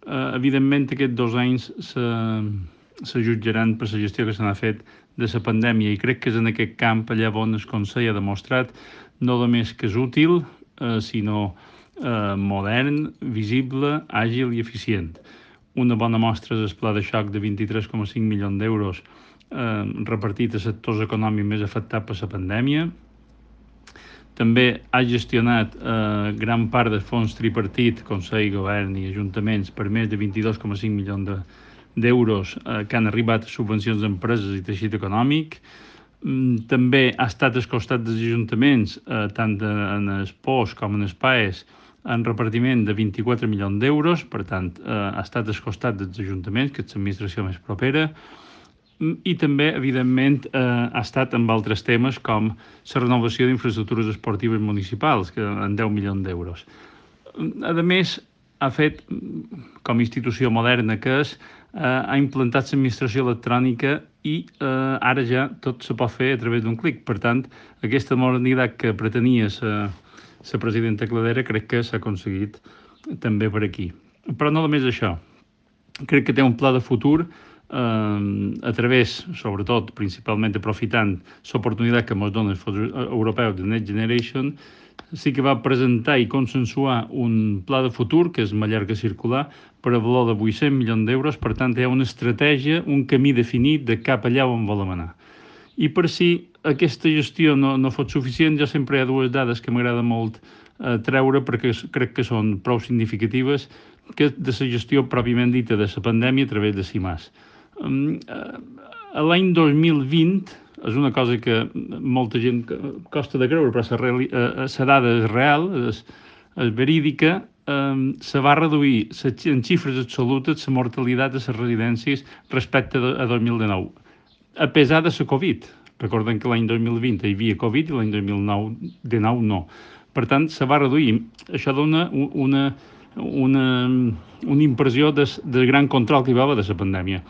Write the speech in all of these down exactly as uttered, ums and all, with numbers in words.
Eh, evidentment, aquests dos anys se, se jutjaran per la gestió que se n'ha fet de la pandèmia i crec que és en aquest camp allà on el Consell ha demostrat no només que és útil, eh, sinó eh, modern, visible, àgil i eficient. Una bona mostra és el pla de xoc de vint-i-tres coma cinc milions d'euros eh, repartit a sectors econòmics més afectats per la pandèmia. També ha gestionat eh, gran part del fons tripartit, Consell, Govern i Ajuntaments, per més de vint-i-dos coma cinc milions de, d'euros eh, que han arribat a subvencions d'empreses i teixit econòmic. Mm, també ha estat al costat dels ajuntaments, eh, tant en el P O S com en el P A E S, en repartiment de vint-i-quatre milions d'euros, per tant, eh, ha estat al costat dels ajuntaments, que és l'administració més propera, i també, evidentment, eh, ha estat amb altres temes com la renovació d'infraestructures esportives municipals, que en deu milions d'euros. A més, ha fet, com a institució moderna que és, eh, ha implantat l'administració electrònica i eh, ara ja tot se pot fer a través d'un clic. Per tant, aquesta modernitat que pretenia la, la presidenta Cladera crec que s'ha aconseguit també per aquí. Però no només això. Crec que té un pla de futur eh, a través, sobretot, principalment aprofitant l'oportunitat que ens dona el fons europeu de Next Generation, sí que va presentar i consensuar un pla de futur, que és Mallorca Circular, per a valor de vuit-cents milions d'euros. Per tant, hi ha una estratègia, un camí definit de cap allà on volem anar. I per si aquesta gestió no, no fos suficient, jo sempre hi ha dues dades que m'agrada molt eh, treure perquè crec que són prou significatives, que de la gestió pròpiament dita de la pandèmia a través de CIMAS. Um, uh, L'any dos mil vint, és una cosa que molta gent costa de creure, però la uh, dada és real, és, és verídica, um, se va reduir en xifres absolutes la mortalitat de les residències respecte a dos mil dinou, a pesar de la Covid. Recordem que l'any dos mil vint hi havia Covid i l'any dos mil dinou no. Per tant, se va reduir. Això dona una, una, una impressió de, de gran control que hi va haver de la pandèmia.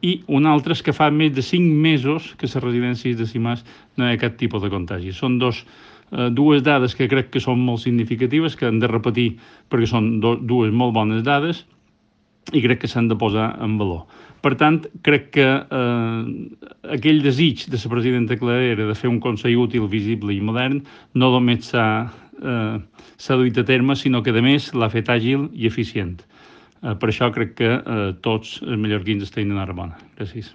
I una altra és que fa més de cinc mesos que les residències de CIMAS no hi ha cap tipus de contagi. Són dos, eh, dues dades que crec que són molt significatives, que hem de repetir perquè són do, dues molt bones dades i crec que s'han de posar en valor. Per tant, crec que eh, aquell desig de la presidenta Cladera de fer un Consell útil, visible i modern no només s'ha eh, duit a terme, sinó que, a més, l'ha fet àgil i eficient. Eh, per això crec que eh, tots els mallorquins estan enhorabona. Gràcies.